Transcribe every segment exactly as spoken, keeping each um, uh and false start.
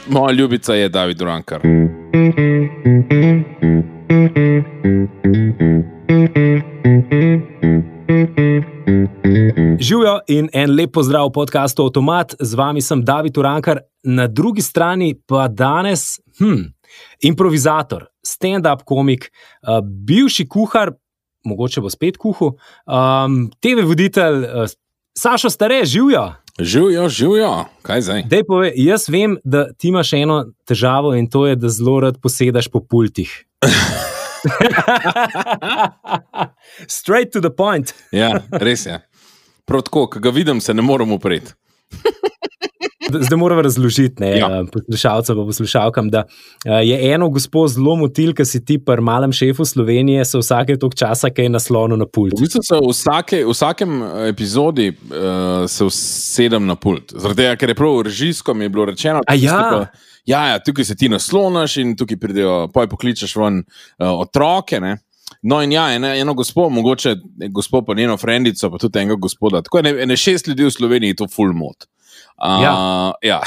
Moja ljubica je David Urankar. Živijo in en lep pozdrav v podcastu Avtomat. Z vami sem David Urankar, na drugi strani pa danes hm, improvizator, stand-up komik, uh, bivši kuhar, mogoče bo spet kuhal, um, te ve voditelj uh, Sašo Stare. Živijo. Živijo, živijo. Kaj zdaj? Dej pove, jaz vem, da ti imaš eno težavo in to je, da zelo rad posedaš po pultih. Straight to the point. Ja, res je. Prav tako, ko ga vidim, se ne morem upreti. Zdaj moramo razložiti ne, ja. poslušalcem pa poslušalkam, da je eno gospod zelo motil, ki si ti pri malem šefu Slovenije se vsake toliko časa kaj naslonil na pult. V bistvu se v vsake, vsakem epizodi uh, se usedem na pult. Zaradi tega, ker je prav režijsko mi je bilo rečeno, A ja? pa, ja, ja, tukaj se ti naslonaš in tukaj pridejo, poj pokličeš ven uh, otroke, ne. No in ja, eno, eno gospod, mogoče gospod pa njeno frendico, pa tudi enega gospoda. Tako je, ene šest ljudi v Sloveniji to full mod. Uh, ja. ja.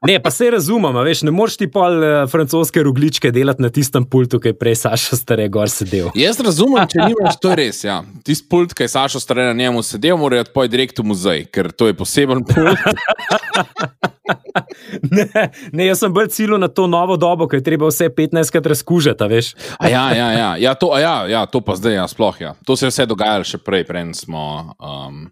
Ne, pa se razumem, veš, ne moreš ti pol uh, francoske rogličke delati na tistem pultu, ki je prej Sašo Stare gor sedel. Jaz razumem, če nimaš, to je res, ja. Tist pult, ki je Sašo Stare na njemu sedel, mora iti poj direkt v muzej, ker to je poseben pult. ne, ne, jaz sem bolj ciljil na to novo dobo, ki je treba vse petnajstkrat razkužati, veš. A ja, ja, ja, ja, to, a ja, ja, to pa zdaj, ja, sploh, ja. To se je vse dogajalo še prej, prej smo... Um,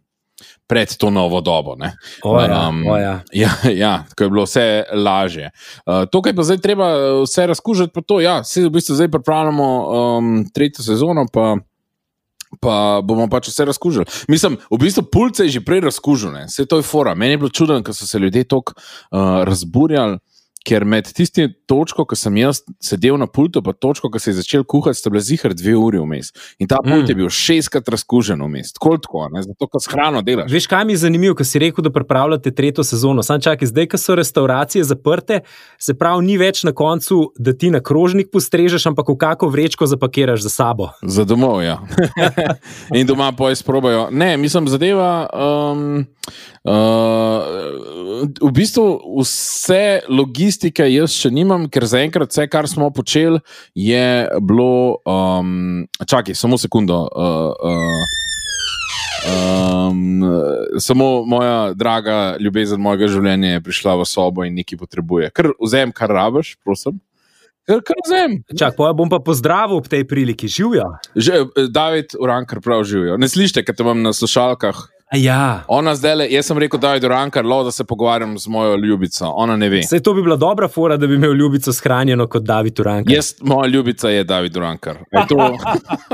pred to novo dobo. Ne? O ja, um, o ja. Ja, ja, tako je bilo vse lažje. Uh, to, kaj pa zdaj treba vse razkužati, pa to, ja, se v bistvu zdaj pripravljamo um, tretjo sezono, pa, pa bomo pač vse razkužili. Mislim, v bistvu pult se je že prej razkužil, ne? Vse to je fora. Meni je bilo čudno, ker so se ljudje toliko uh, razburjali, ker med tisti točko, ko sem jaz sedel na pultu, pa točko, ko se je začel kuhati, sta bila zihar dve uri vmes. In ta pult mm. je bil šestkrat razkužen vmes. Tako tako, ne? Zato, ko s hrano delaš. Veš, kaj mi je zanimivo, ko si rekel, da pripravljate tretjo sezono. Sam čakaj, zdaj, ko so restauracije zaprte, se pravi, ni več na koncu, da ti na krožnik postrežeš, ampak v kako vrečko zapakiraš za sabo. Za domov, ja. In doma poj sprobajo. Ne, mislim, zadeva... Um, uh, v bistvu vse logistike jaz še nimam, ker zaenkrat vse, kar smo počeli, je bilo... Um, čakaj, samo sekundo. Uh, uh, um, samo moja draga ljubezen mojega življenja je prišla v sobo in nekaj potrebuje. Kar vzem, kar rabiš, prosim. Kar, kar vzem. Čak, pa bom pa pozdravil ob tej priliki. Živijo? Že, David Urankar prav živijo. Ne slište, kad te imam na slušalkah. Ja. Ona zdaj, jaz sem rekel, David Urankar, lo, da se pogovarjam z mojo ljubico. Ona ne ve. Sej to bi bila dobra fora, da bi imel ljubico shranjeno kot David Urankar. Jaz, moja ljubica je David Urankar. Je to,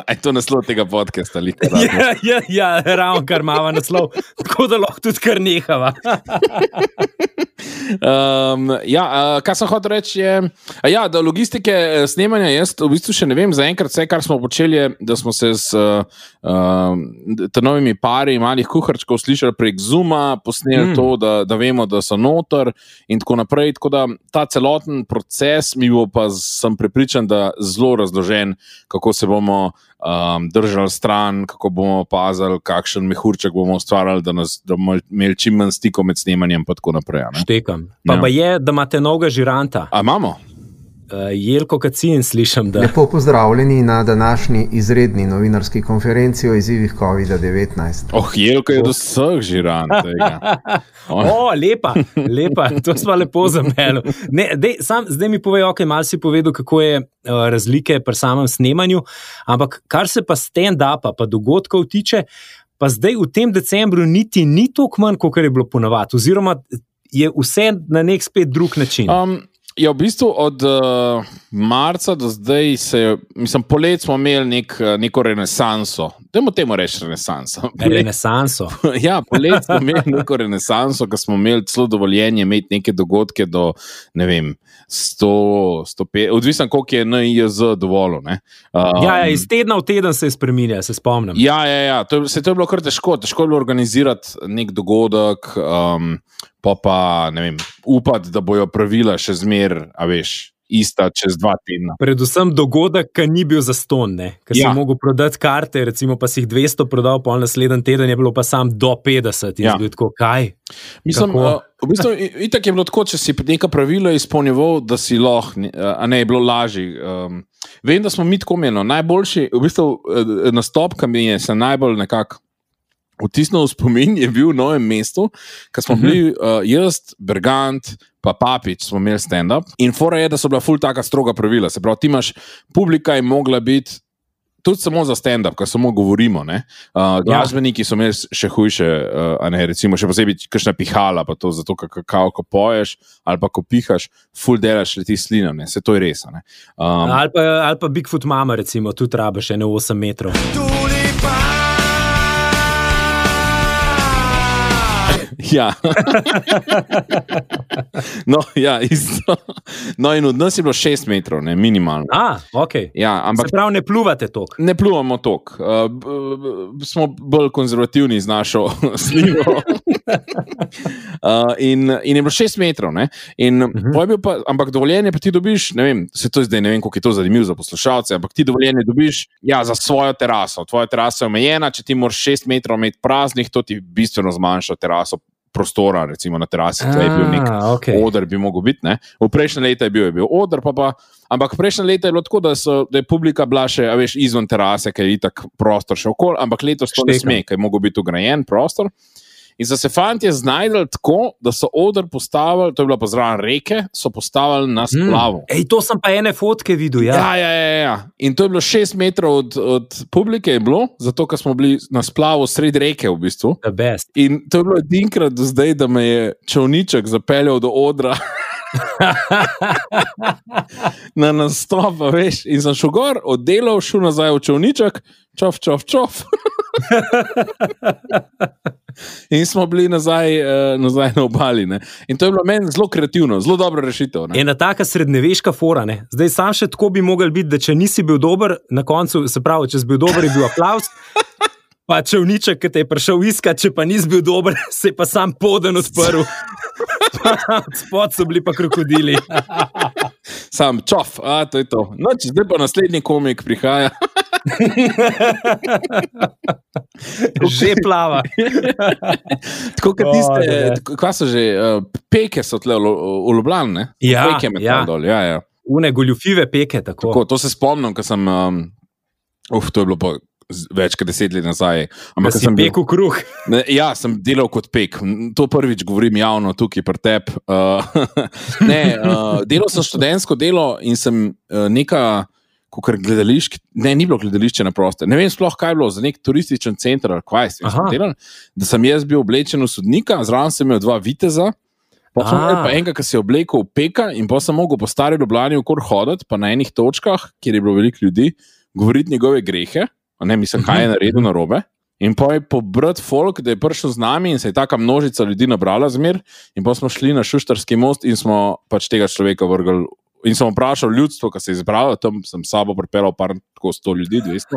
je to naslov tega podcasta? Ja, ja, ja, ravno kar mava naslov. Tako da lahko tudi kar nehava. um, ja, uh, kaj sem hotel reči je, ja, da logistike snemanja jaz v bistvu še ne vem, zaenkrat vse, kar smo počeli je, da smo se s uh, uh, te novimi pari malih kuharčkov slišali prek Zooma, posneli mm. to, da, da vemo, da so noter in tako naprej, tako da ta celoten proces mi bo pa, sem prepričan, da zelo razložen, kako se bomo um, držali stran, kako bomo opazali, kakšen mehurček bomo ustvarjali, da, nas, da bomo imeli čim manj stikov med snemanjem pa tako naprej. Ne? Štekam. Pa, ja. pa je, da imate novega žiranta. A imamo? Uh, Jelko Kacin, slišam, da... Lepo pozdravljeni na današnji izredni novinarski konferenci o izzivih covid devetnajst. Oh, Jelko je do vseh žirant tega. O, oh, lepa, lepa, to smo lepo zameli. Ne, dej, sam, zdaj mi povej, ok, malo si povedal, kako je uh, razlike pri samem snemanju, ampak kar se pa stand-upa, pa dogodkov tiče, pa zdaj v tem decembru niti ni toliko manj, kot je bilo ponavadi, oziroma je vse na nek spet drug način. Um, Ja, v bistvu od uh, marca do zdaj se, mislim, polet smo imeli nek, neko renesanso. Dajmo temu reči renesanso. Renesanso? Ja, polet smo imeli neko renesanso, ko smo imeli celo dovoljenje imeti neke dogodke do, ne vem, sto, sto pet, odvisno koliko je N I J Z dovolil, ne. Um, ja, ja, iz tedna v teden se je spreminja, se spomnim. Ja, ja, ja, to, se to je bilo kar težko, težko je bilo organizirati nek dogodek, um, pa pa, ne vem, upati, da bojo pravila še zmer, a veš, ista čez dva tedna. Predvsem dogodek, ki ni bil zastonj, ker Ja. si mogel prodati karte, recimo pa si jih dvesto prodal, pol naslednji teden je bilo pa sam do petdeset. Ja. In bil tako, kaj? Mislim, Kako? uh, v bistvu, i- itak je bilo tako, če si neka pravila izpolnjeval, da si lahko, ne, a ne, je bilo lažje. Um, vem, da smo mi tako menili. Najboljši, v bistvu, uh, nastop, ki mi je se najbolj nekako vtisnil v spomin, je bil v Novem mestu, ker smo bili uh, jaz, Bergant, pa Papič, smo imeli stand-up. In fora je, da so bila ful taka stroga pravila. Se pravi, ti imaš, publika je mogla biti tudi samo za stand-up, ker samo govorimo. ne. Uh, glasbeniki so imeli še hujše, uh, a ne, recimo, še posebej kakšna pihala, pa to zato, ker kakao, ko poješ ali pa ko pihaš, ful delaš leti slino, ne, se to je res. a ne. Um, Ali pa, ali pa Bigfoot mama, recimo, tudi rabiš ene osem metrov. Ja. No, ja, isto. No, in od nas je bilo šest metrov, ne, minimalno. A, ok. Ja, ampak Se pravi, ne pluvate toliko. ne pluvamo toliko. Uh, b- b- smo bolj konzervativni z našo slino. Uh, in, in je bilo šest metrov, ne? In uh-huh. je bil pa, ampak dovoljenje pa ti dobiš, ne vem, se to zdaj ne vem, koliko je to zanimivo za poslušalce, ampak ti dovoljenje dobiš ja, za svojo teraso. Tvoja terasa je omejena, če ti moraš šest metrov imeti praznih, to ti bistveno zmanjša teraso prostora, recimo na terasi, tle je bil nek A, okej. oder, bi mogel biti. Ne? V prejšnje leta je bil, je bil oder, pa pa, ampak prejšnje leta je bilo tako, da, so, da je publika bila še, a veš, izven terase, ker je itak prostor še okoli, ampak letos to ne Štekam. sme, ker je mogel biti ugrajen prostor. In so se fantje znajdli tako, da so oder postavili, to je bila pa zraven reke, so postavili na splavu. Ej, to sem pa ene fotke videl, ja. Ja, ja, ja, ja. In to je bilo šest metrov od, od publike, je bilo, zato ker smo bili na splavu sredi reke v bistvu. The best. In to je bilo edinkrat do zdaj, da me je čovniček zapeljal do odra. Na nastop, a veš, in sem šel gor, oddelal, šel nazaj v čovniček, čov, čov, čov. In smo bili nazaj, uh, nazaj na obali. Ne? In to je bilo meni zelo kreativno, zelo dobra rešitev. Ne? Ena taka srednjeveška fora. Ne? Zdaj sam še tako bi mogel biti, da če nisi bil dober, na koncu, se pravi, če si bil dober, je bil aplavz. Pa čevniček, ki te je prišel iskat, če pa nisi bil dober, se je pa sam poden odprl. Spod so bili pa krokodili. Sam čov, a to je to. No, če zdaj pa naslednji komik prihaja. Že plava. Tako kot O, tiste, da, da. tako- kva so že, uh, peke so tle v Lu- v Ljubljani, ne? Ja, Peke med ja. dol, ja, ja. Une goljufive peke, tako. Tako, to se spomnim, ko sem, um, uf, to je bilo pa z- več kot deset let nazaj. Da Ampak, ko si sem bil- pekel kruh. Ne, ja, sem delal kot pek. To prvič govorim javno tukaj pri tebi. Uh, ne, uh, delal sem študentsko delo in sem uh, neka, kakor gledališče, ne, ni bilo gledališče na proste. Ne vem sploh, kaj je bilo, za nek turističen center ali kaj sem Aha. delal, da sem jaz bil oblečen v sodnika, zraven sem imel dva viteza. Pa sem A. imel pa enega, ki se je oblekel v peka in pa sem mogel po stari Ljubljani okor hoditi, pa na enih točkah, kjer je bilo veliko ljudi, govoriti njegove grehe, a ne mislim, kaj je naredil narobe. In pa je pobrat folk, da je prišel z nami in se je taka množica ljudi nabrala zmer, in pa smo šli na Šuštarski most in smo pač tega človeka vrgli. In sem vprašal ljudstvo, ki se je izbralo, tam sem s sabo pripeljal par tako sto ljudi, dvesto.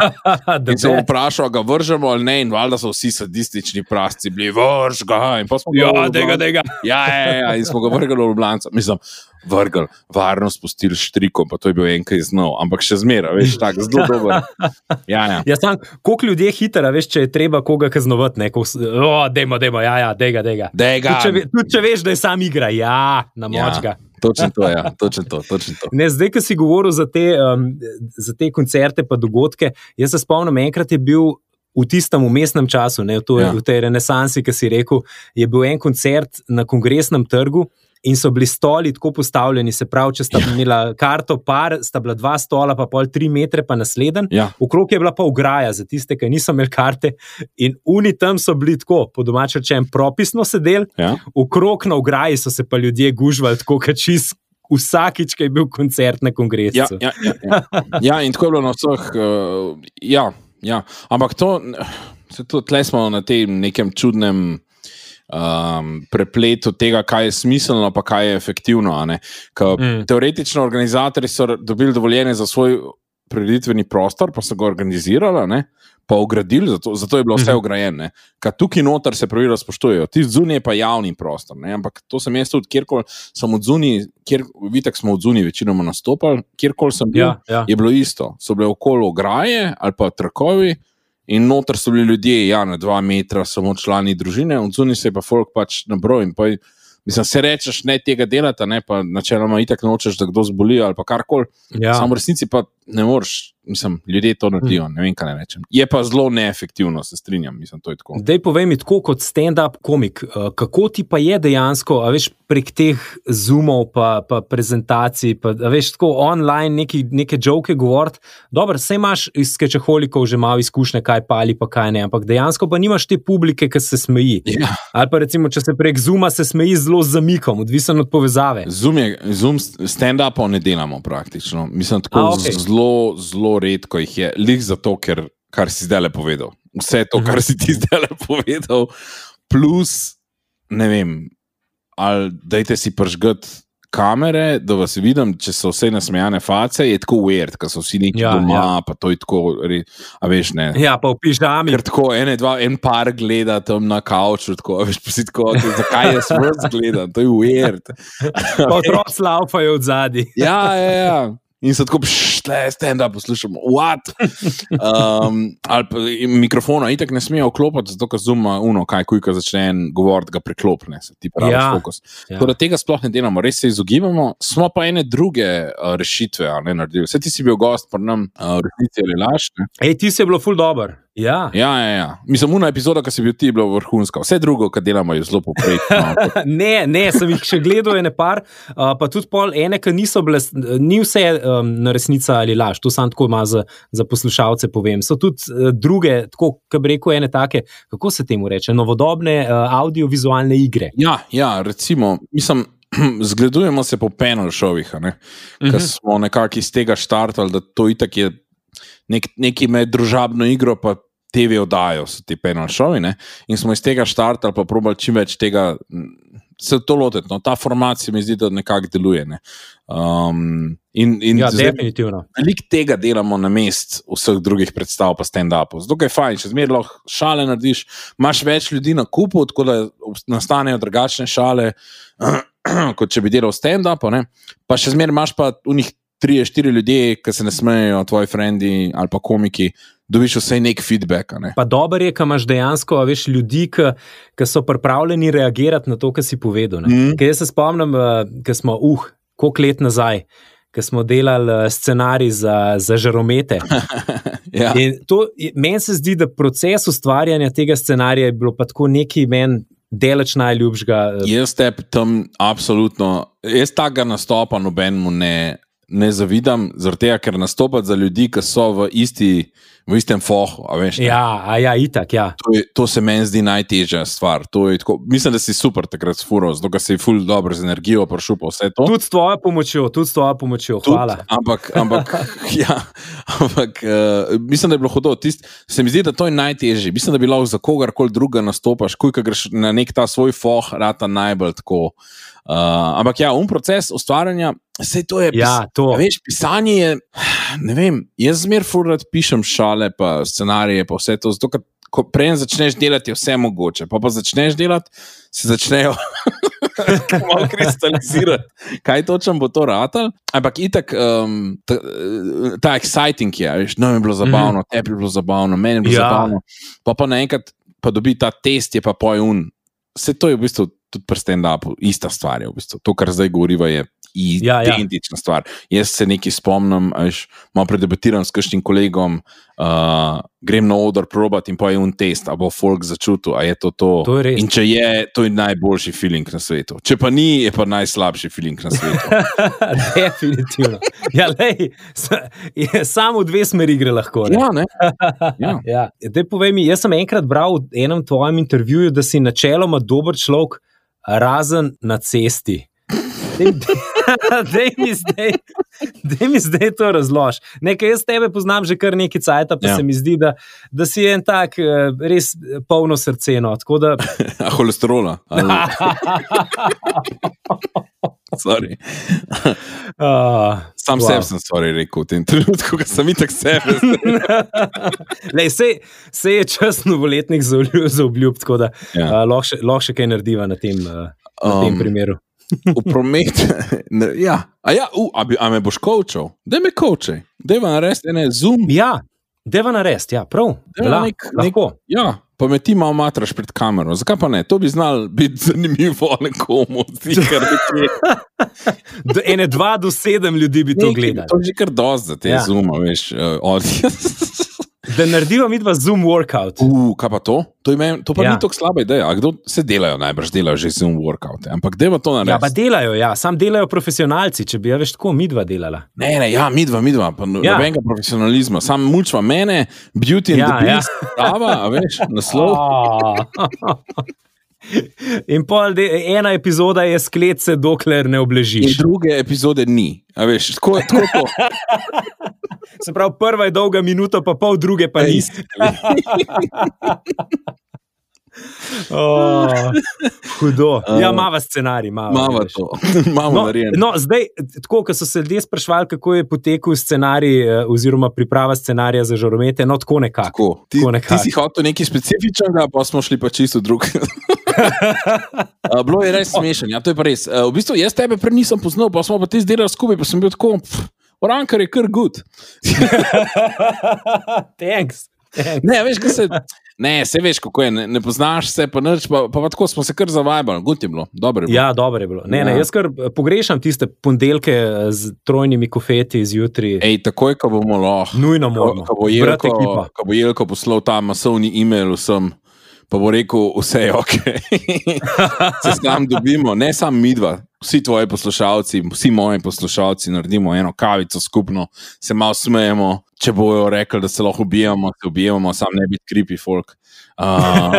In sem vprašal, ga vržemo ali ne, in valjda so vsi sadistični prasci bili, vrž ga. In pa smo ga Ja, v dega, Ljubljano- dega. Ja, ja, ja, in smo ga vrgli v Ljubljano. Mislim, vrgli, varno spustili štrikom, pa to je bil enkaj znov, ampak še zmeraj, veš, tako zelo dober. Ja, ja. Ja, sam, koliko ljudi je hitro, veš, če je treba koga kaznovati, ne, ko, o, dejmo, dejmo, ja, ja, dega, dega. Dega. Tudi če, ve- tudi če veš, da je sam igra, ja, na močka. Ja, točno to, ja, točno to, točno to. Ne, zdaj, ko si govoril za te, um, za te koncerte pa dogodke, jaz se spomnim, enkrat je bil v tistem umestnem času, ne, v, to, Ja. v tej renesansi, ki si rekel, je bil en koncert na Kongresnem trgu in so bili stoli tako postavljeni, se pravi, če sta imela karto par, sta bila dva stola, pa pol tri metre, pa naslednji. Ja. Okrog je bila pa ograja za tiste, ki niso imeli karte, in uni tam so bili tako, po domače rečem, propisno sedeli, Ja. okrog na ograji so se pa ljudje gužvali, tako kot čist vsakič, ko je bil koncert na kongresu. Ja, ja, ja, ja. ja, in tako je bilo na vseh. Uh, ja, ja, ampak to, se to tle smo na tem nekem čudnem um, prepletu tega, kaj je smiselno, pa kaj je efektivno. a ne. Ka, Mm. Teoretično organizatorji so dobili dovoljenje za svoj prireditveni prostor, pa so ga organizirali, ne, pa ogradili, zato, zato je bilo vse ograjeno. Ker tukaj noter se pravila spoštujejo, ti zunaj je pa javni prostor, ne, ampak to sem jaz tudi, kjerkoli sem od zunaj, kjer, vitek smo od zunaj večinoma nastopali, kjerkoli sem bil, Ja, ja. je bilo isto. So bile okolo ograje ali pa trakovi in noter so bili ljudje, ja, na dva metra, samo člani družine, od zunaj se je pa folk pač nabroj in pa mislim, se rečeš, ne tega delata, ne, pa načeloma itak nočeš, da kdo zboli ali pa karkoli. Ja. Samo v resnici pa ne moreš, mislim, ljudje to naredijo, ne vem, kaj ne rečem. Je pa zelo neefektivno, se strinjam, mislim, to je tako. Dej povej mi tako kot stand-up komik, uh, kako ti pa je dejansko, a veš, prek teh zoomov pa, pa prezentacij, pa a veš, tako online neki, neke joke govoriti, dobro, saj imaš iz skečeholikov že malo izkušnje, kaj pali pa kaj ne, ampak dejansko pa nimaš te publike, ki se smeji. Ja. Ali pa recimo, če se prek zooma se smeji zelo z zamikom, odvisen od povezave. Zoom, je, Zoom stand-upov ne delamo praktično. Mislim, tako A, okej. zelo, zelo redko jih je. Lik zato, ker, kar si zdaj le povedal. Vse to, kar si ti zdaj le povedal, plus, ne vem, ali dajte si pržgati kamere, da vas vidim, če so vse nasmejane face, je tako weird, ker so vsi neki Ja, doma, ja. pa to je tako, re- a veš, ne. Ja, pa v pižami. Ker tako ene, dva, en par gleda tam na kavču, tako, a veš, pa si tako, okay, zakaj jaz vas gledam, to je weird. Pa otroci laufajo od zadaj. Ja, ja, ja. In so tako, šle, stand-up poslušamo, what? Um, ali pa mikrofona itak ne smejo vklopiti, zato ker zuma uno, kaj kujka začne en govoriti, ga priklopne, se ti pravi Ja, fokus. ja. Tako da tega sploh ne delamo, res se izogibamo, smo pa ene druge uh, rešitve, a ne naredili. Vse ti si bil gost pri nam, uh, v resnici ali laž, ne? Ej, ti si je bilo ful dober. Ja. Ja, ja, ja. Mislim, una epizoda, ki si bil ti, je bila vrhunska. Vse drugo, kar delamo, je zelo poprečno. Ne, ne, sem jih še gledal ene par, uh, pa tudi pol ene, ki niso bile, ni vse um, na resnica ali laž, to sam tako malo za, za poslušalce povem. So tudi uh, druge, tako, ki bi rekel, ene take, kako se temu reče, novodobne uh, audiovizualne igre. Ja, ja, recimo, mislim, zgledujemo se po panel šovih, ne? Ker Mhm. smo nekako iz tega štartali, da to itak je nek, neki med družabno igro, pa T V oddajo so ti panel šovi, ne? In smo iz tega štartali, pa probali čim več tega, m, se to loteti. No, ta format se mi zdi, da nekako deluje. Ne? Um, in, in Ja, zdaj- definitivno. Veliko tega delamo na mest vseh drugih predstav, pa stand-upov. Zato je fajn, če zmeraj lahko šale narediš, imaš več ljudi na kupu, tako da nastanejo drugačne šale, kot če bi delal stand-up, ne? Pa še zmeraj imaš pa v njih trije, štiri ljudje, ki se ne smejejo, tvoji frendi ali pa komiki, dobiš vsaj nek feedback. Ne? Pa dober je, ko imaš dejansko a veš, ljudi, ki, ki so pripravljeni reagirati na to, kar si povedal. Mhm. Mm. Jaz se spomnim, ko smo, uh, koliko let nazaj, ko smo delali eh, scenarij za, za žaromete. Ja. In to, meni se zdi, da proces ustvarjanja tega scenarija je bilo pa tako neki meni deleč najljubšega. eh, Jaz te tam absolutno, jaz takega nastopa nobenemu ne, ne zavidam, zaradi tega, ker nastopati za ljudi, ki so v, isti, v istem fohu. A veš, ne? Ja, a ja, itak, ja. To, je, to se meni zdi najtežja stvar. To je tako, mislim, da si super takrat sfural, zato si ful dobro z energijo prišel pa vse to. Tudi s tvojo pomočjo, tudi s tvojo pomočjo, hvala. Tud, ampak, ampak, ja, ampak uh, mislim, da je bilo hudo. Tist, se mi zdi, da to je najtežje. Mislim, da bi lahko za kogarkoli druga nastopaš, kuj, ko greš na nek ta svoj foh, rata najbolj tako. Uh, ampak ja, um proces ustvarjanja, vse to je. Ja, to. A veš, pisanje je, ne vem, jaz zmer furat pišem šale, pa scenarije, pa vse to, zato ker ko prej začneš delati, je vse mogoče, pa pa začneš delati, se začnejo malo kristalizirati, kaj točno bo to ratal, ampak itak um, ta, ta exciting je, veš, no je bilo zabavno, mm. tebi je bilo zabavno, meni je bilo Ja. zabavno, pa pa naenkrat pa dobi ta test, je pa pojun, vse to je v bistvu tudi pri stand-upu, ista stvar je v bistvu, to, kar zdaj govoriva je Ja, ja. identična stvar. Jaz se nekaj spomnim, veš, malo predebatiram s kakšnim kolegom, uh, grem na oder probati in pa je un test, a bo folk začutil, a je to to. To je res. In če je, to je najboljši feeling na svetu. Če pa ni, je pa najslabši feeling na svetu. Definitivno. Ja, lej, sa- je, samo v dve smeri gre lahko. Ne? Ja, ne? Ja. Ja. Dej, povej mi, jaz sem enkrat bral v enem tvojem intervjuju, da si načeloma dober človek, razen na cesti. Dej, dej, mi zdaj, dej mi zdaj to razlož. Nekaj jaz tebe poznam že kar nekaj cajta, pa Ja. ja. se mi zdi, da, da si en tak eh, res polno srce. No. Tako da A holesterola. Ali... Sorry. Uh, Sam wow. sebi sem sorry rekel v tem trenutku, ko sem itak sebe. Lej, sej, sej je čas novoletnih za obljub, tako da Ja. uh, lahko še, lahko še kaj narediva na tem, uh, na tem Um, primeru. V promet. Ne, ja, a, ja uh, a, bi, a me boš coachal? Daj me coachaj. Daj me narediti ene Zoom. Ja, deva narest, ja, prav. Deva Vela, nek- lahko. Ja, pa me ti malo matraš pred kamero. Zakaj pa ne? To bi znal biti zanimivo nekomu. Zikar, Do, ene dva do sedem ljudi bi to gledali. To je že kar dosti za te Ja. ja. Zooma, veš. Uh, od... Da narediva midva Zoom workout. Uh, kaj pa to? To, ime, to pa Ja. ja. ni tako slaba ideja. A kdo se delajo, najbrž delajo že Zoom workout. Ampak deva to Ja, pa narediti. delajo, ja, sam delajo profesionalci, če bi ja veš tako midva delala. Ne, ne, ja, midva, midva, pa Ja. ja. nobenega profesionalizma. Sam mučva mene, Beauty and Ja, the ja. Beast, prava, a veš, naslov. Oh. In pol de, ena epizoda je sklet se, dokler ne In obležiš. druge epizode ni. A veš, tako, tako to. Se pravi, prva je dolga minuta, pa pol druge pa ni. Oh, hudo. Ja, mava scenarij, mava. Mava veš. to. Imamo No, narejeno. no, zdaj, tako, ko so se ljudje sprašvali, kako je potekel scenarij, eh, oziroma priprava scenarija za žaromete, no, tako nekako. Tako. Ti, Tako ti nekako. si hotel nekaj specifičnega, pa smo šli pa čisto drug. Uh, bilo je res smešen, ja, to je pa res. Uh, v bistvu jaz tebe prej nisem poznal, pa smo pa ti zdelali skupaj, pa sem bil tako, pff, Orankar je kar good. Thanks. Thanks. Ne, veš, kaj se, ne, se veš, kako je, ne, ne poznaš se, pa nič, pa, pa, pa tako smo se kar zavajbali, good je bilo, dobro je bilo. Ja, dobro je bilo. Ne, ne, Ja. jaz kar pogrešam tiste ponedeljke z trojnimi kofeti zjutraj. Ej, takoj, ko bomo lahko, Nujno ko, moramo. ko bo Brat Jelko, ekipa. ko bo Jelko poslal ta masovni e-mail vsem, pa bo rekel, vse je ok. Se s tam dobimo, ne samo midva, vsi tvoji poslušalci, vsi moji poslušalci, naredimo eno kavico skupno, se malo smejemo, če bojo rekli, da se lahko ubijamo, se ubijamo, sam ne biti creepy folk. Uh,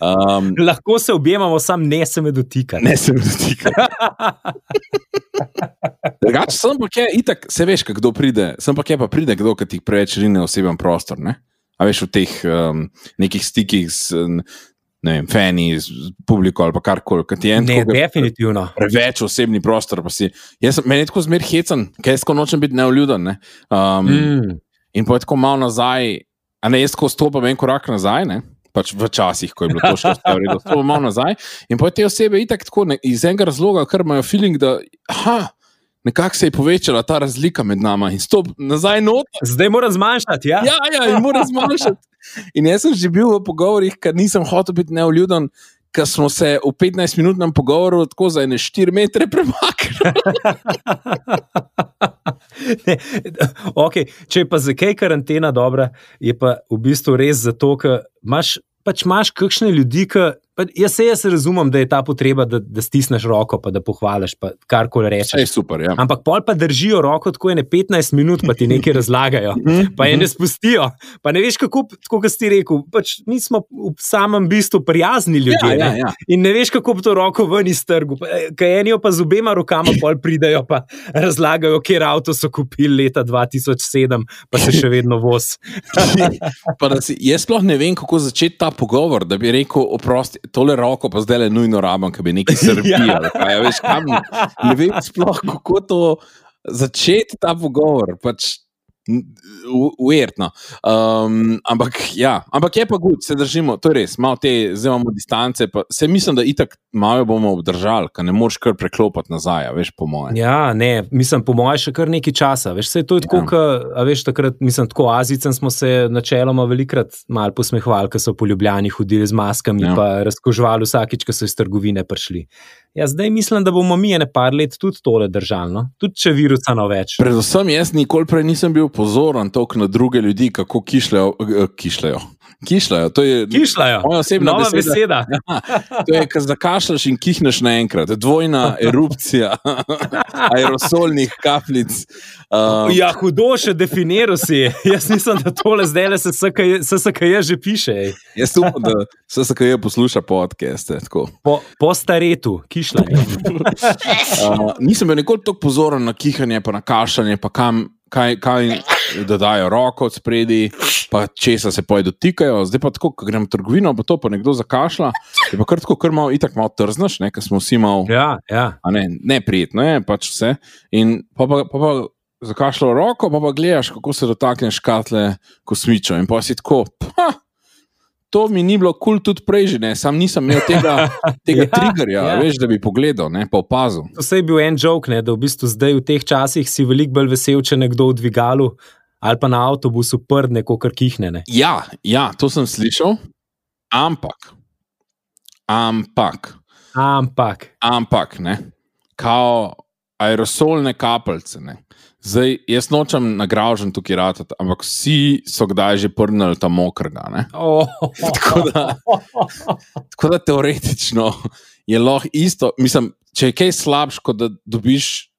um, Lahko se objemamo, sam ne se me dotika. ne se mi dotika. Drugače, sem pa kje, itak, se veš, kdo pride, sem pa kje pa pride kdo, ki ti preveč rine oseben prostor, ne? A veš, v teh um, nekih stikih z, ne vem, fani, z publiko ali pa karkoli, kad ti je en Ne, tako, ke- definitivno. preveč osebni prostor, pa si, jaz sem, meni je tako zmer hecen, ker jaz tako nočem biti neuljuden, ne? Um, Mm. In pa je tako malo nazaj, a ne, jaz tako stopam en korak nazaj, ne? Pač v časih, ko je bilo to še vse v redu, stopam malo nazaj in pa te osebe itak tako ne, iz enega razloga, ker imajo feeling, da aha, nekako se je povečala ta razlika med nama in stop nazaj not. Zdaj moram zmanjšati, ja? Ja, ja, in mora zmanjšati. In jaz sem že bil v pogovorih, ker nisem hotel biti neuljuden, ker smo se v petnajstminutnem pogovoru tako za ene štiri metre premaknili. Ne, okay. Če je pa za kaj karantena dobra, je pa v bistvu res zato, ker imaš, pač imaš kakšne ljudi, ki. Jaz se jaz razumem, da je ta potreba, da, da stisneš roko, pa da pohvališ, pa karkoli Vse rečeš. je super, ja. Ampak pol pa držijo roko tako ene petnajst minut, pa ti nekaj razlagajo, pa je ne spustijo. Pa ne veš, kako, tako kot si rekel, pač mi smo v samem bistvu prijazni ljudje. Ja, ja, ne. ja. In ne veš, kako bi to roko ven iz trgu. Kaj enijo pa z obema rokama pol pridajo, pa razlagajo, kjer avto so kupili leta dva tisoč sedem, pa se še vedno voz. Pa da si, jaz sploh ne vem, kako začeti ta pogovor, da bi rekel, oprosti, tole roko pa zdaj le nujno rabam, ker bi nekaj srbijal. Ja. Ja, veš, kam, ne vem sploh, kako to začeti ta pogovor. Pač, uvertno. Um, ampak ja, ampak je pa good, se držimo, to je res, malo te, zdaj imamo distance, pa se mislim, da itak malo bomo obdržali, ker ne moreš kar preklopati nazaj, a veš, po moje. Ja, ne, mislim, po mojem, še kar nekaj časa. Veš, se je to je tako, Ja. ka, a veš, takrat, mislim, tako Azijcem smo se načeloma velikrat mal posmehvali, ko so po Ljubljani hodili z maskami, Ja. pa razkožvali vsakič, ko so iz trgovine prišli. Ja, zdaj mislim, da bomo mi ene par let tudi tole držali, no? Tudi če virusa no več. Predvsem jaz nikoli prej nisem bil pozoren toliko na druge ljudi, kako kišljajo. eh, kišljajo. Kišljajo, to je Kišljajo, moja osebna nova beseda. beseda. To je, ko zakašljaš in kihneš naenkrat. Dvojna erupcija aerosolnih kapljic. Um, Ja, hudo še definiral si. Jaz mislim, da tole zdaj le se S S K J že piše. Ej. jaz upam, da S S K J posluša podcaste. Tako. Po, po staretu, kišljanje. Uh, nisem bil nikoli tako pozoren na kihanje, pa na kašljanje, pa kam, kaj, kaj da dajo roko od spredi, pa česa se poje dotikajo. Zdaj pa tako, ko grem v trgovino, pa to pa nekdo zakašlja, je pa kar tako, kar malo itak malo trznaš, ne, ker smo vsi malo, Ja, ja. a ne, neprijetno je, pač vse. In pa pa, pa, pa zakašljal roko, pa pa gledaš, kako se dotakne škatle kosmičev. In pa si tako, pa, to mi ni bilo kul cool tudi prej že, ne, sam nisem imel tega, tega Ja, triggerja, ja. veš, da bi pogledal, ne, pa opazil. To se je bil en joke, ne, da v bistvu zdaj v teh časih si veliko bolj vesel, če nekdo v dvigalu ali pa na avtobusu prdne, kakor kihne. Ne. Ja, ja, to sem slišal, ampak, ampak, Ampak, ampak, ne, kao aerosolne kapljice, ne. Zdaj, jaz nočem nagražen tukaj ratati, ampak vsi so kdaj že prnili ta mokrga, ne. oh, Tako da, tako da teoretično je lahko isto, mislim, če je kaj slabš, kot da dobiš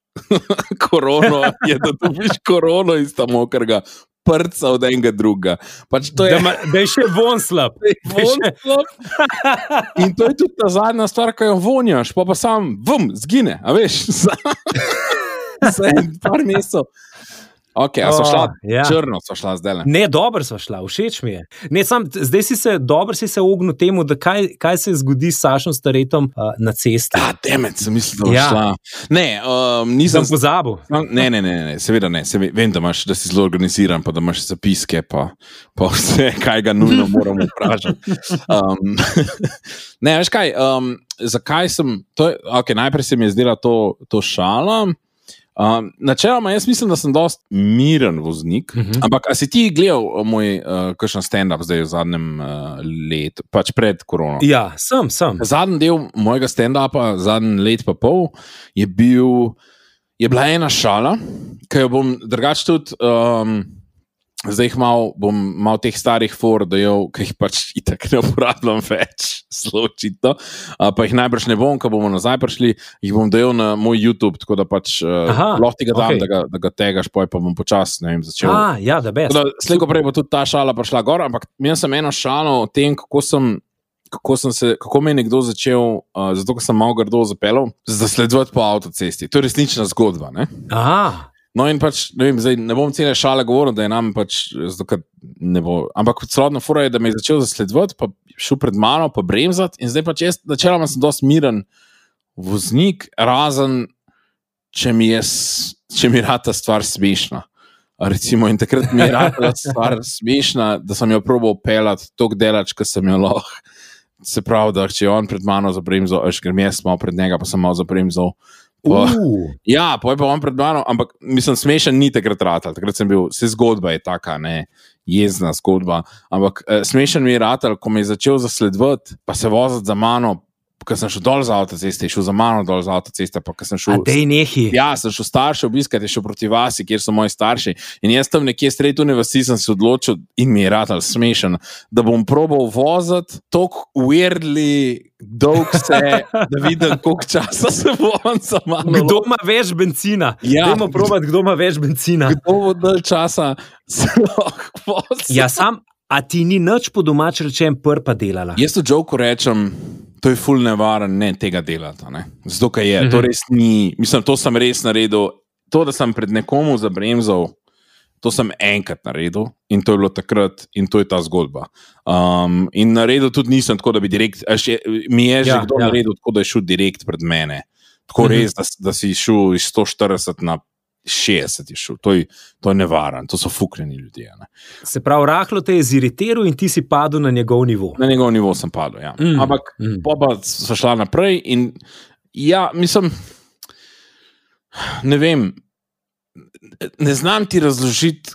korono, je da dobiš korono iz ta mokrga, prca od enega druga. Pač to da, je, ma, da je še von slab. Da je še- in to je tudi ta zadnja stvar, ko jo vonjaš, pa pa sam, vum, zgine, a veš, za, za en par mesecev. Ok, a so šla, Oh, ja. črno so šla zdaj. Ne, dobro sva šla, všeč mi je. Ne, sam, zdaj si se, dobro si se ognil temu, da kaj, kaj se zgodi s Sašom Staretom uh, na cesti. Ah, demet, sem mislil, da bo Ja. šla. Ne, um, nisem Sem pozabil. No, Ne, ne, ne, ne, seveda ne. Se vem, da, imaš, da si zelo organiziran, pa da imaš zapiske, pa, pa vse, kaj ga nujno moramo vprašati. Um, ne, veš kaj, um, zakaj sem, to je, okay, najprej se mi je zdela to, to šala. Um, načeloma, jaz mislim, da sem dost miren voznik, uh -huh. ampak a si ti gledal moj uh, kakšen stand-up zdaj v zadnjem uh, letu, pač pred korono? Ja, sem, sem. Zadnji del mojega stand-upa, zadnji let pa pol, je bil, je bila ena šala, ki jo bom drugače tudi, um, zdaj jih mal, bom mal teh starih for, da jo, ki jih pač itak ne uporabljam več, zelo očitno, uh, pa jih najbrž ne bom, ko bomo nazaj prišli, jih bom dajal na moj YouTube, tako da pač uh, Aha, lahko ti ga dam, okej. da ga, da ga tegaš, poj pa bom počas, ne vem, začel. A, ja, da best. Slejko prej bo tudi ta šala prišla gor, ampak imel sem eno šalo o tem, kako sem, kako sem se, kako me je nekdo začel, uh, zato ker sem malo grdo zapeljal, zasledovati po avtocesti. To je resnična zgodba, ne? Aha, No in pač, ne vem, zdaj ne bom cele šale govoril, da je nam pač, zato ker ne bo, ampak celotna fora je, da me je začel zasledovati, pa šel pred mano, pa bremzati in zdaj pač jaz, načeloma sem dosti miren voznik, razen, če mi je, s- če mi je rata stvar smešna. Recimo, in takrat mi je rata stvar smešna, da sem jo probal pelati toliko delač, ko sem jo lahko. Se pravi, da če je on pred mano zabremzal, veš, ker mi jaz malo pred njega, pa sem malo zabremzal. Pa, uh, ja, pa je pa on pred mano, ampak mislim, smešen ni takrat ratal. Takrat sem bil, vse zgodba je taka, ne, jezna zgodba. Ampak eh, smešen mi je ratal, ko me je začel zasledovati, pa se voziti za mano, ko sem šel dol z avtoceste, je šel za mano dol z avtoceste, pa ko sem a šel. dej nehi. Ja, sem šel starše obiskati, je šel proti vasi, kjer so moji starši. In jaz tam nekje sredi tune vasi sem se odločil in mi je ratal smešen, da bom probal voziti tako weirdly dolg se, da vidim, koliko časa se bo on za mano. Kdo ima več benzina? Ja. Dajmo probati, kdo ima več benzina. Kdo bo dalj časa se lahko vozil? Ja, sam, a ti ni nič po domač rečem prpa delala? Jaz to joke rečem, to je ful nevaren, ne tega delati. Ne? Zato, ker je, Mhm. to res ni, mislim, to sem res naredil. To, da sem pred nekomu zabremzal, to sem enkrat naredil in to je bilo takrat in to je ta zgodba. Um, in naredil tudi nisem tako, da bi direkt, a še, mi je že Ja, kdo ja. naredil tako, da je šel direkt pred mene. Tako Mhm. res, da, da si šel iz sto štirideset na šestdeset je šel. To je, to je nevaren, to so fuknjeni ljudje. Ne? Se pravi, rahlo te je ziritiral in ti si padel na njegov nivo. Na njegov nivo sem padel. Ja. Mm, Mm, Ampak mm. mm. pa so šla naprej in ja, mislim, ne vem, ne znam ti razložiti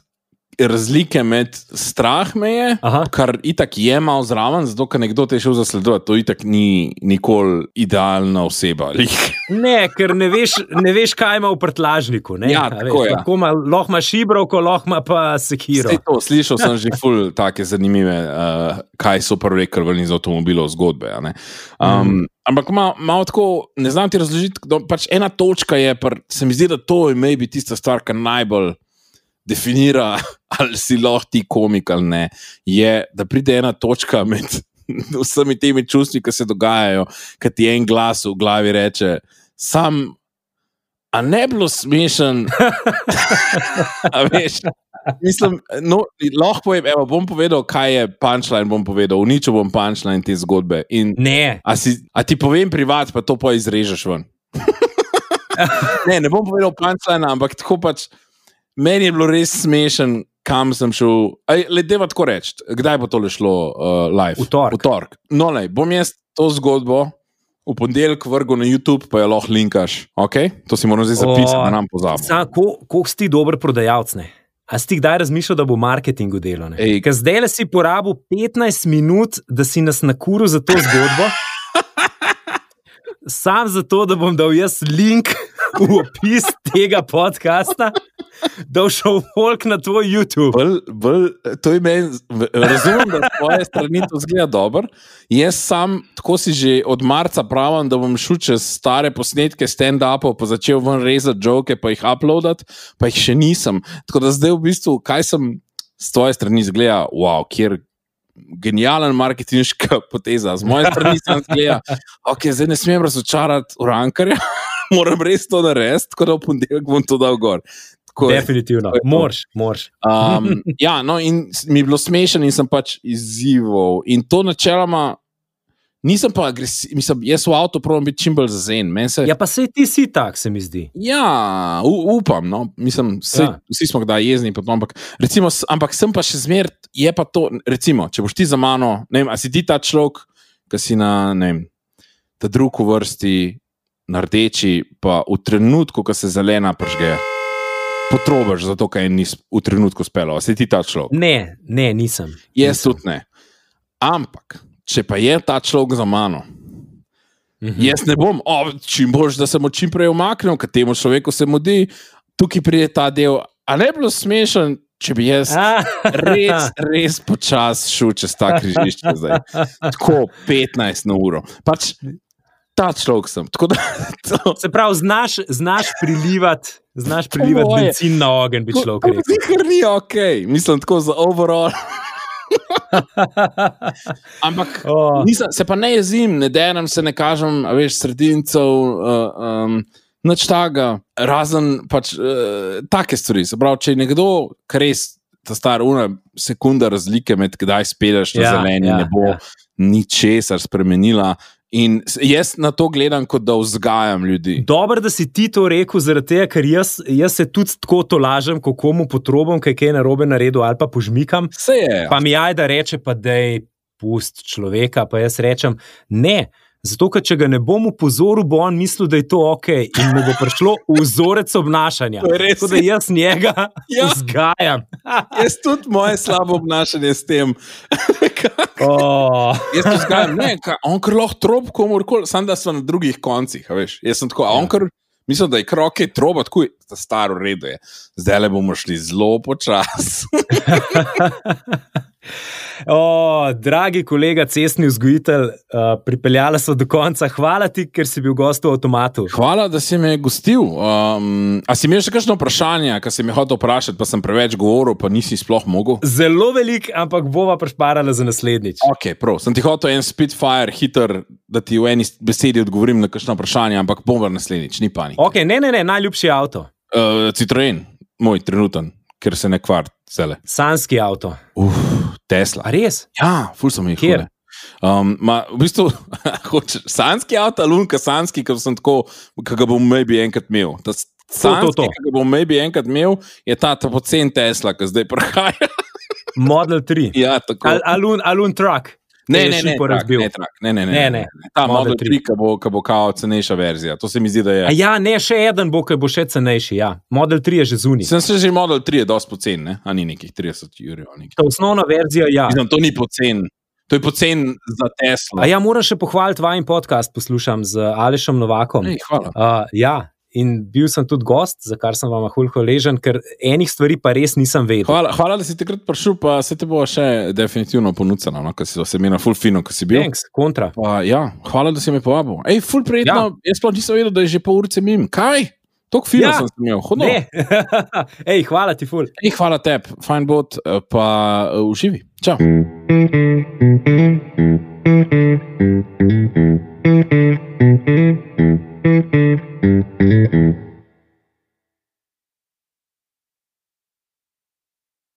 razlike med strah me je, Aha. kar itak je malo zraven, zato ker nekdo te je šel zasledovati, to itak ni nikoli idealna oseba. Ne, ker ne veš, ne veš kaj ima v prtlažniku. Ne? Ja, A tako veš, je. lahko ima, lahko ima šibrovko, lahko ima pa sekiro. Sej to, slišal sem že ful take zanimive, uh, kaj so prvi krvni z avtomobilov zgodbe. a ne. Um, mm. Ampak malo mal tako, ne znam ti razložiti, kdo, pač ena točka je, pr, se mi zdi, da to je maybe tista stvar, ki najbolj definira, ali si lahko ti komik ali ne, je, da pride ena točka med vsemi temi čustvi, ki se dogajajo, ki ti en glas v glavi reče, sam A ne bilo smešen, a veš, mislim, no, lahko povem, evo, bom povedal, kaj je punchline, bom povedal, uničil bom punchline te zgodbe. In Ne. a, si, a ti povem privat, pa to pa izrežeš ven. ne, ne bom povedal punchline, ampak tako pač, meni je bilo res smešen, kam sem šel, le deva tako reči, kdaj bo tole šlo uh, live? V torek. V torek. No, lej, bom jaz to zgodbo v ponedeljek vrgel na YouTube, pa jo lahko linkaš. Okay? To si moram zdaj zapisati, da nam pozabimo. Koliko si ti dober prodajalec? Ne? A si ti kdaj razmišljal, da bo marketingu delo? Ker zdaj le si porabil petnajst minut, da si nas nakuril za to zgodbo. Sam zato, da bom dal jaz link v opis tega podcasta, da bo šel folk na tvoj YouTube. Bol, bol, to je meni, razumem, da s tvoje strani to zgleda dobro. Jaz sam, tako si že od marca pravim, da bom šel čez stare posnetke stand-upov, pa začel ven rezati joke, pa jih uploadati, pa jih še nisem. Tako da zdaj v bistvu, kaj sem s tvoje strani zgleda, wow, kjer genijalen marketinška poteza. Z moje strani sem zgleda, ok, zdaj ne smem razočarati urankarja, moram res to narediti, tako da v ponedeljek bom to dal gor. Tako, definitivno, moraš, moraš. Um, ja, no, in mi je bilo smešen in sem pač izzival. In to načeloma nisem pa agresiven, mislim, jaz v avto probam biti čim bolj zazen. Se... Ja, pa sej ti si tak, se mi zdi. Ja, u, upam, no, mislim, sej, ja. Vsi smo kdaj jezni, potom, ampak, recimo, ampak sem pa še zmer, je pa to, recimo, če boš ti za mano, ne vem, a si ti ta človek, ki si na, ne vem, ta drug v vrsti, na rdeči, pa v trenutku, ko se zelena pržge, potrobaš zato, kaj nis v trenutku spelo. A si ti ta človek? Ne, ne, nisem. Jaz tudi ne. Ampak, če pa je ta človek za mano, mm-hmm. jaz ne bom, o, čim boš, da sem čim prej umaknil, ker temu človeku se mudi, tukaj pride ta del, a ne bilo smešen, če bi jaz res, res počas šel čez ta križišče zdaj. Tako petnajst na uro. Pač ta človek sem. Tako da, to... Se pravi, znaš, znaš prilivati, znaš prilivati benzin na ogenj, bi človek rekel. Zihar ni ok, mislim tako za overall. Ampak oh. nisem, se pa ne jezim, ne denem se, ne kažem, a veš, sredincev, uh, um, nič taga, razen pač uh, take stvari. Se pravi, če je nekdo, kar res ta star una sekunda razlike med kdaj speleš na ja, zeleni, ja, ne bo ja. ničesar spremenila. In jaz na to gledam, kot da vzgajam ljudi. Dobro, da si ti to rekel, zaradi tega, ker jaz, jaz se tudi tako tolažem, ko komu potrobam, kaj je narobe naredil, ali pa požmikam. Se je. Pa mi ajda reče, pa dej, pust človeka, pa jaz rečem, ne, zato, ker če ga ne bom upozoril, bo on mislil, da je to ok in mu bo prišlo vzorec obnašanja. Tako da jaz njega ja. vzgajam. Jaz tudi moje slabo obnašanje s tem. Oh. Jaz to vzgajam, ne, ka, on kar lahko trob komorkoli, samo da so na drugih koncih, veš. Jaz sem tako, a on kar, mislim, da je kroke troba, tako je, ta staro redo je. Zdaj le bomo šli zelo počas. O, dragi kolega, cestni vzgojitelj, uh, pripeljala so do konca. Hvala ti, ker si bil gost v avtomatu. Hvala, da si me gostil. Um, a si imel še kakšno vprašanje, kar si me hotel vprašati, pa sem preveč govoril, pa nisi sploh mogel? Zelo velik, ampak bova prešparala za naslednjič. Ok, prav. Sem ti hotel en Spitfire hiter, da ti v eni besedi odgovorim na kakšno vprašanje, ampak bom v naslednjič, ni panik. Ok, ne, ne, ne, najljubši avto. Uh, Citroen, moj trenuten, ker se ne kvart cele. Sanski avto. Uf, Tesla. A res? Ja, ful sem jih. Kjer? Um, ma, v bistvu, hočeš, sanski avto, lunka sanski, ki sem tako, ki ga bom maybe enkrat imel. Ta sanski, ki ga bom maybe enkrat imel, je ta, ta pocen Tesla, ki zdaj prihaja. Model tri. Ja, tako. Al, alun, alun truck. Ne, ne, ne, trak, ne, trak, ne, ne, ne, ne, ne. Ta Model tri, ki bo, bo kao cenejša verzija. To se mi zdi, da je. A ja, ne, še eden bo, ki bo še cenejši, ja. Model tri je že zunaj. Sem se že Model tri je dosti pocen, ne? A ni nekih trideset jurjev. To osnovna verzija, ja. Mislim, to ni pocen. To je pocen za Tesla. A ja, moram še pohvaliti vajen podcast, poslušam z Alešem Novakom. Ej, hvala. Uh, ja. In bil sem tudi gost, za kar sem vam hul hvaležen, ker enih stvari pa res nisem vedel. Hvala, hvala da si takrat prišel, pa se te bo še definitivno ponudila, no, ker si se imel ful fino, ko si bil. Thanks, kontra. Pa, ja, hvala, da si me povabil. Ej, ful prijetno, ja. Jaz sploh nisem vedel, da je že pol urice mim. Kaj? Tok fino ja. sem se imel, hodno. Ej, hvala ti ful. Ej, hvala tebi, fajn bot, pa uh, uživi. Čau. Thank you.